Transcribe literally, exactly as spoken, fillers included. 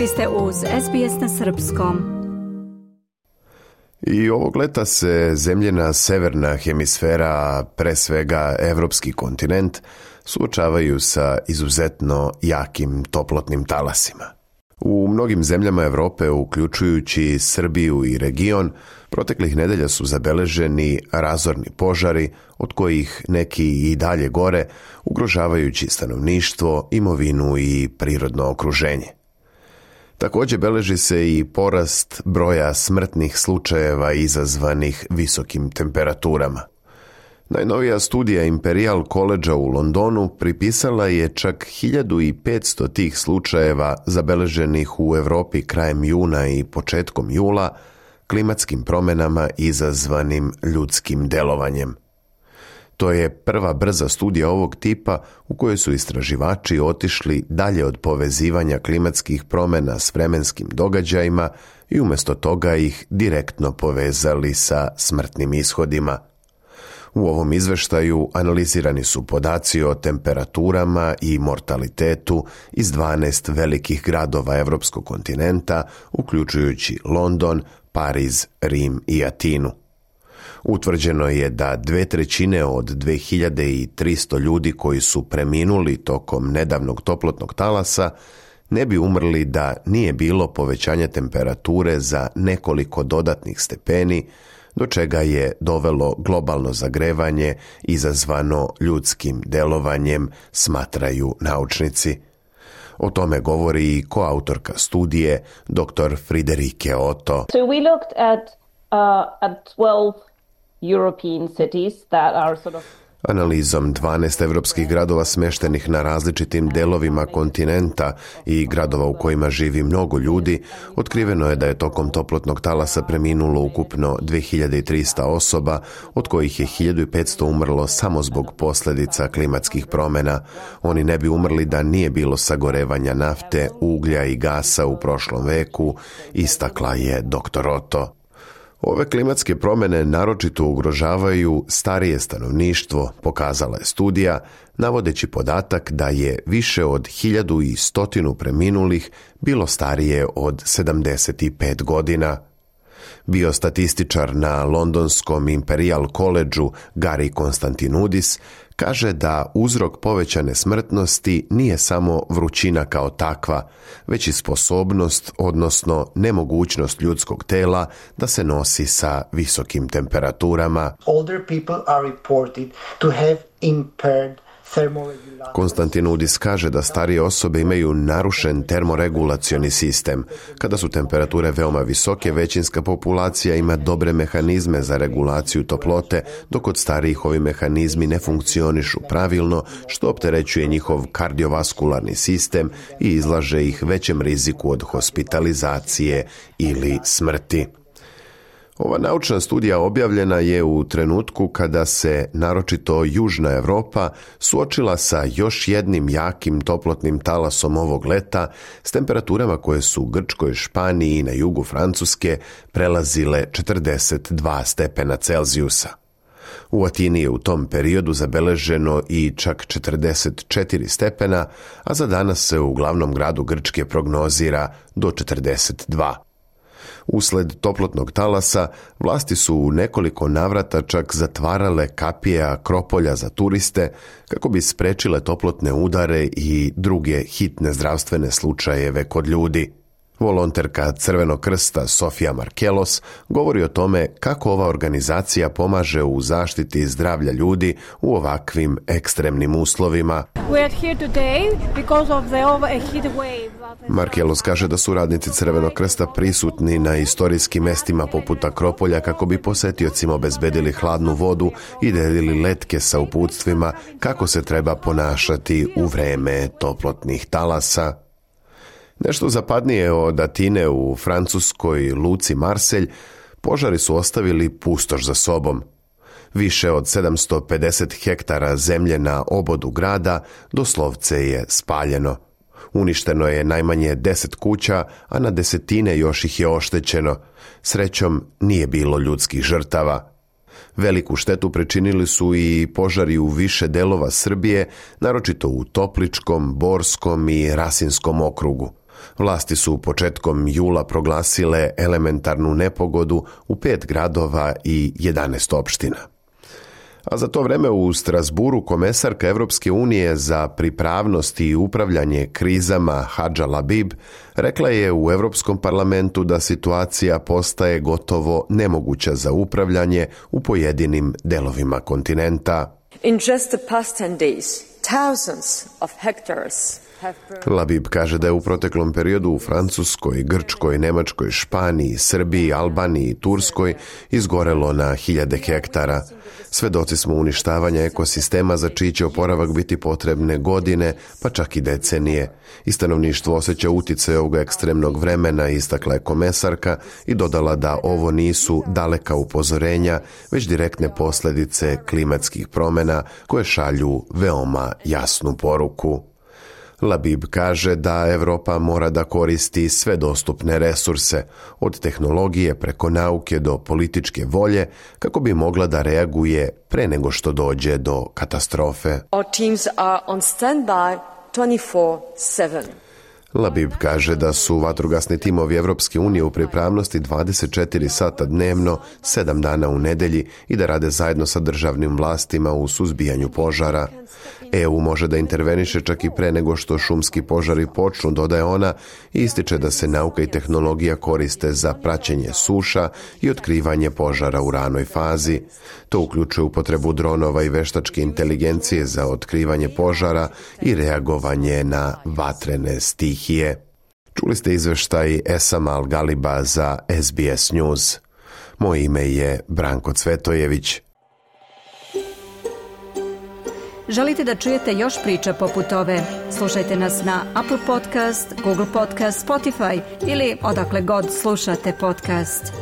Vi ste uz S B S na srpskom. I ovog leta se zemljina severna hemisfera, pre svega evropski kontinent, suočavaju sa izuzetno jakim toplotnim talasima. U mnogim zemljama Evrope, uključujući Srbiju i region, proteklih nedelja su zabeleženi razorni požari, od kojih neki i dalje gore, ugrožavajući stanovništvo, imovinu i prirodno okruženje. Također beleži se i porast broja smrtnih slučajeva izazvanih visokim temperaturama. Najnovija studija Imperial College u Londonu pripisala je čak hiljadu petsto tih slučajeva zabeleženih u Europi krajem juna i početkom jula klimatskim promjenama izazvanim ljudskim delovanjem. To je prva brza studija ovog tipa u kojoj su istraživači otišli dalje od povezivanja klimatskih promjena s vremenskim događajima i umjesto toga ih direktno povezali sa smrtnim ishodima. U ovom izveštaju analizirani su podaci o temperaturama i mortalitetu iz dvanaest velikih gradova evropskog kontinenta, uključujući London, Pariz, Rim i Atinu. Utvrđeno je da dve trećine od dve hiljade tristo ljudi koji su preminuli tokom nedavnog toplotnog talasa ne bi umrli da nije bilo povećanja temperature za nekoliko dodatnih stepeni, do čega je dovelo globalno zagrevanje izazvano ljudskim delovanjem, smatraju naučnici. O tome govori i koautorka studije, doktor Friederike Otto. So we looked at, uh, at twelve European cities that are sort of Analizom dvanaest evropskih gradova smještenih na različitim delovima kontinenta i gradova u kojima živi mnogo ljudi, otkriveno je da je tokom toplotnog talasa preminulo ukupno dve hiljade tristo osoba, od kojih je hiljadu petsto umrlo samo zbog posljedica klimatskih promjena. Oni ne bi umrli da nije bilo sagorevanja nafte, uglja i gasa u prošlom veku, istakla je doktor Otto. Ove klimatske promjene naročito ugrožavaju starije stanovništvo, pokazala je studija, navodeći podatak da je više od hiljadu i stotinu preminulih bilo starije od sedamdeset pet godina. Biostatističar na londonskom Imperial College-u Gary Konstantinudis kaže da uzrok povećane smrtnosti nije samo vrućina kao takva, već i sposobnost, odnosno nemogućnost ljudskog tela da se nosi sa visokim temperaturama. Older people are reported to have impaired Konstantinudis kaže da starije osobe imaju narušen termoregulacioni sistem. Kada su temperature veoma visoke, većinska populacija ima dobre mehanizme za regulaciju toplote, dok kod starijih ovi mehanizmi ne funkcionišu pravilno, što opterećuje njihov kardiovaskularni sistem i izlaže ih većem riziku od hospitalizacije ili smrti. Ova naučna studija objavljena je u trenutku kada se naročito Južna Europa suočila sa još jednim jakim toplotnim talasom ovog leta s temperaturama koje su u Grčkoj, Španiji i na jugu Francuske prelazile četrdeset dva stepena Celzijusa. U Atini je u tom periodu zabeleženo i čak četrdeset četiri stepena, a za danas se u glavnom gradu Grčke prognozira do četrdeset dva. Usled toplotnog talasa, vlasti su u nekoliko navrata čak zatvarale kapije Akropolja za turiste kako bi sprečile toplotne udare i druge hitne zdravstvene slučajeve kod ljudi. Volonterka Crvenog krsta Sofija Markelos govori o tome kako ova organizacija pomaže u zaštiti zdravlja ljudi u ovakvim ekstremnim uslovima. Markelos kaže da su radnici Crvenog krsta prisutni na istorijskim mestima poput Akropolja kako bi posetiocima obezbedili hladnu vodu i delili letke sa uputstvima kako se treba ponašati u vreme toplotnih talasa. Nešto zapadnije od Atine u francuskoj luci Marselj, požari su ostavili pustoš za sobom. Više od sedamsto pedeset hektara zemlje na obodu grada doslovce je spaljeno. Uništeno je najmanje deset kuća, a na desetine još ih je oštećeno. Srećom, nije bilo ljudskih žrtava. Veliku štetu pričinili su i požari u više delova Srbije, naročito u Topličkom, Borskom i Rasinskom okrugu. Vlasti su početkom jula proglasile elementarnu nepogodu u pet gradova i jedanaest opština. A za to vreme u Strasburu komesarka Evropske unije za pripravnost i upravljanje krizama Hadža Labib rekla je u Evropskom parlamentu da situacija postaje gotovo nemoguća za upravljanje u pojedinim delovima kontinenta. In just the past ten days, thousands of hectares Labib kaže da je u proteklom periodu u Francuskoj, Grčkoj, Nemačkoj, Španiji, Srbiji, Albaniji i Turskoj izgorelo na hiljade hektara. Svedoci smo uništavanja ekosistema za čiji će oporavak biti potrebne godine, pa čak i decenije. I stanovništvo osjeća uticaj ovog ekstremnog vremena, istakla je komesarka i dodala da ovo nisu daleka upozorenja, već direktne posljedice klimatskih promjena koje šalju veoma jasnu poruku. Labib kaže da Evropa mora da koristi sve dostupne resurse, od tehnologije preko nauke do političke volje, kako bi mogla da reaguje pre nego što dođe do katastrofe. Our teams are on standby twenty-four seven. Labib kaže da su vatrogasni timovi Evropske unije u pripravnosti dvadeset četiri sata dnevno, sedam dana u nedelji i da rade zajedno sa državnim vlastima u suzbijanju požara. E U može da interveniše čak i pre nego što šumski požari počnu, dodaje ona, i ističe da se nauka i tehnologija koriste za praćenje suša i otkrivanje požara u ranoj fazi. To uključuje upotrebu dronova i veštačke inteligencije za otkrivanje požara i reagovanje na vatrene stihije. Čuli ste izveštaj Esama Al-Galiba za S B S News. Moje ime je Branko Cvetojević. Želite da čujete još priča poput ove? Slušajte nas na Apple Podcast, Google Podcast, Spotify ili odakle god slušate podcast.